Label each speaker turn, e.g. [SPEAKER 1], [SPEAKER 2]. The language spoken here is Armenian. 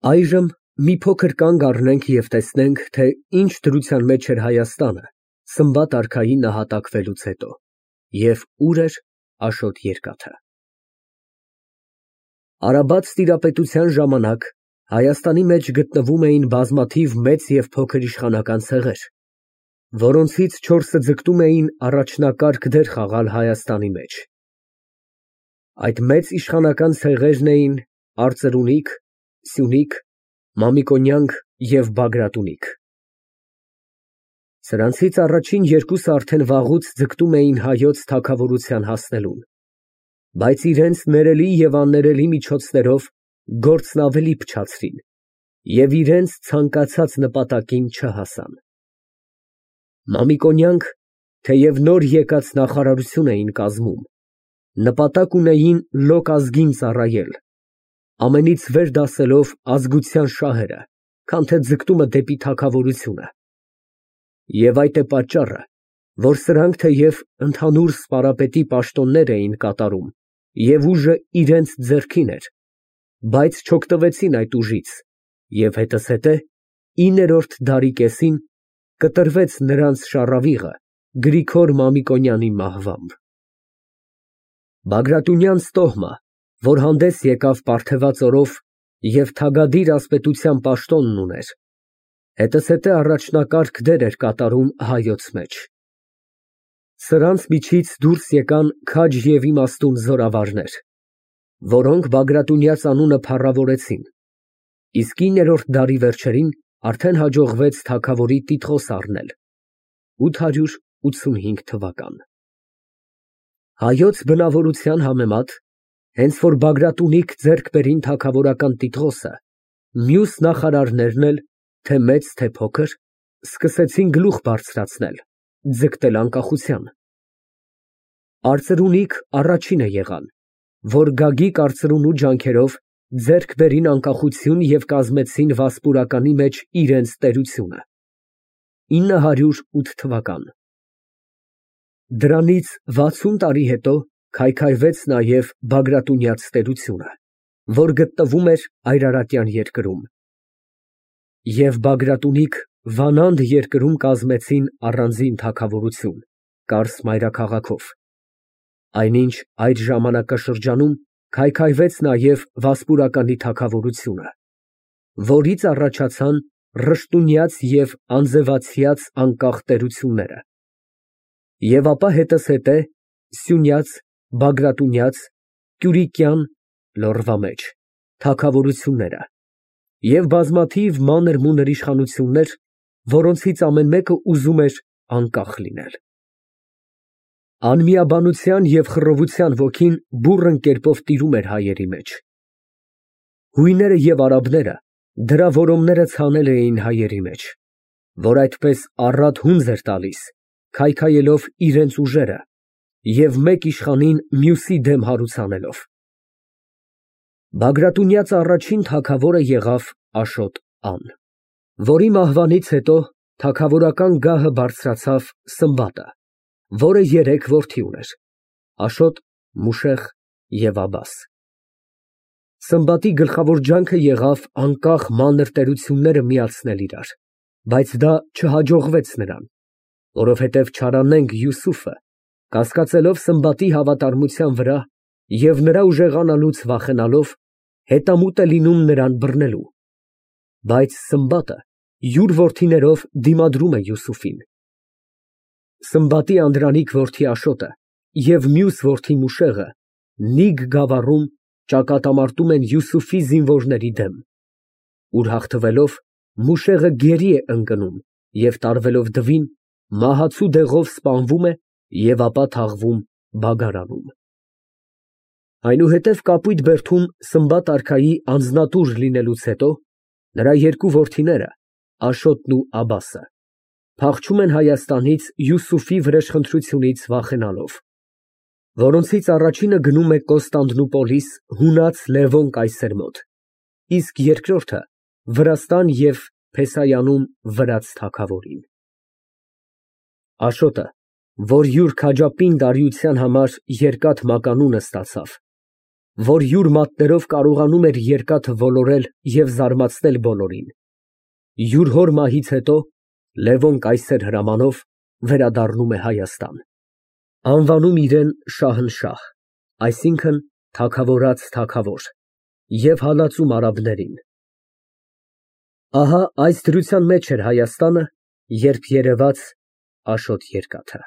[SPEAKER 1] Այժմ մի փոքր կանգ առնենք և տեսնենք, թե ինչ դրության մեջ էր Հայաստանը Սմբատ արքայի նահատակվելուց հետո և ուր էր Աշոտ Երկաթը։ Արաբաց տիրապետության ժամանակ Հայաստանի մեջ գտնվում էին բազմաթիվ մեծ և փոքր իշխանական ցեղեր, որոնցից չորսը ձգտում էին առաջնակարգ դեր խաղալ Հայաստանի մեջ։ Այդ մեծ իշխանական ցեղերն էին արծրունիք, Սյունիք, Մամիկոնյանք և Բագրատունիք։ Սրանցից առաջին երկուսը արդեն վաղուց ձգտում էին հայոց թագավորության հասնելուն, բայց իրենց ներելի և աններելի միջոցներով գործն ավելի փչացրին և իրենց ցանկացած նպատակին չհասան։ Մամիկոնյանք, թեև նոր եկած նախարարություն էին կազմում, նպատակ ունեին լոկ ազգին ծառայել, ամենից վեր դասելով ազգության շահերը, քան թե ձգտումը դեպի թագավորությունը։ Եվ այդ է պատճառը, որ սրանք թեև ընդհանուր սպարապետի պաշտոններ էին կատարում և ուժը իրենց ձեռքին էր, բայց չօգտվեցին այդ ուժից և հետզհետե 9-րդ դարի կեսին կտրվեց նրանց շառավիղը Գրիգոր Մամիկոնյանի մահվամբ։ Բագրատունյանց տոհմը, որ հանդես եկավ պարթևած օրով և թագադիր ասպետության պաշտոնն ուներ, հետզհետե առաջնակարգ դեր էր կատարում հայոց մեջ։ Սրանց միջից դուրս եկան քաջ և իմաստուն զորավարներ, որոնք Բագրատունյաց անունը փառավորեցին, իսկ 9-րդ դարի վերջերին արդեն հաջողվեց թագավորի տիտղոս առնել (885 թվական)։ Հայոց բնավորության համեմատ, հենց որ Բագրատունիք ձեռք բերին թագավորական տիտղոսը, մյուս նախարարներն էլ, թե մեծ, թե փոքր, սկսեցին գլուխ բարձրացնել, ձգտել անկախության։ Արծրունիք առաջինը եղան, որ Գագիկ արծրունու ջանքերով ձեռք բերին անկախություն և կազմեցին Վասպուրականի մեջ իրենց տերությունը (908 թվական)։ Դրանից 60 տարի հետո քայքայվեց նաև Բագրատունյաց տերությունը, որ գտնվում էր Այրարատյան երկրում, և Բագրատունիք Վանանդ երկրում կազմեցին առանձին թագավորություն Կարս մայրաքաղաքով, այնինչ այդ ժամանակաշրջանում քայքայվեց նաև Վասպուրականի թագավորությունը, որից առաջացան Ռշտունյաց և Անձևացյաց անկախ տերությունները, և ապա հետզհետե Սյունյաց, Բագրատունյաց, Կյուրիկյան (Լոռվա մեջ) թագավորությունները և բազմաթիվ մանր֊մունր իշխանություններ, որոնցից ամեն մեկը ուզում էր անկախ լինել։ Անմիաբանության և խռովության ոգին բուռն կերպով տիրում էր հայերի մեջ։ Հույները և արաբները դրա որոմները ցանել էին հայերի մեջ, որ այդպես առատ հունձ էր տալիս, քայքայելով իրենց ուժերը և մեկ իշխանին մյուսի դեմ հարուցանելով։ Բագրատունյաց առաջին թագավորը եղավ Աշոտ Ան, որի մահվանից հետո թագավորական գահը բարձրացավ Սմբատը, որը երեք որդի ուներ՝ Աշոտ, Մուշեղ և Աբաս։ Սմբատի գլխավոր ջանքը եղավ անկախ մանր տերությունները միացնել իրար, բայց դա չհաջողվեց նրան, որովհետև չարանենգ Յուսուֆը, կասկածելով Սմբատի հավատարմության վրա և նրա ուժեղանալուց վախենալով, հետամուտ է լինում նրան բռնելու, բայց Սմբատը յուր որդիներով դիմադրում է Յուսուֆին։ Սմբատի անդրանիկ որդի Աշոտը և մյուս որդի Մուշեղը Նիգ գավառում ճակատամարտում են Յուսուֆի զինվորների դեմ, ուր հաղթվելով, Մուշեղը գերի է ընկնում և տարվելով դվին, մահացու դեղով սպանվում է և ապա թաղվում Բագարանում։ Այնուհետև Կապույտ բերդում Սմբատ արքայի անձնատուր լինելուց հետո, նրա երկու որդիները՝ Աշոտն ու Աբասը, փախչում են Հայաստանից Յուսուֆի վրեժխնդրությունից վախենալով, որոնցից առաջինը գնում է Կոստանդնուպոլիս հունած Լևոն կայսեր մոտ, իսկ երկրորդը Վրաստան և Փեսայանում վրաց թագավորին։ Աշոտը, որ յուր քաջապինդ արիության համար երկաթ մականունը ստացավ, որ յուր մատներով կարողանում էր երկաթը ոլորել և զարմացնել բոլորին։ Յուր հոր մահից հետո Լևոն կայսեր հրամանով վերադառնում է Հայաստան, անվանում իրեն Շահնշահ, այսինքն թագավորած թագավոր, և հալածում արաբներին։ Ահա այս դրության մեջ էր Հայաստանը, երբ երևաց Աշոտ երկաթը։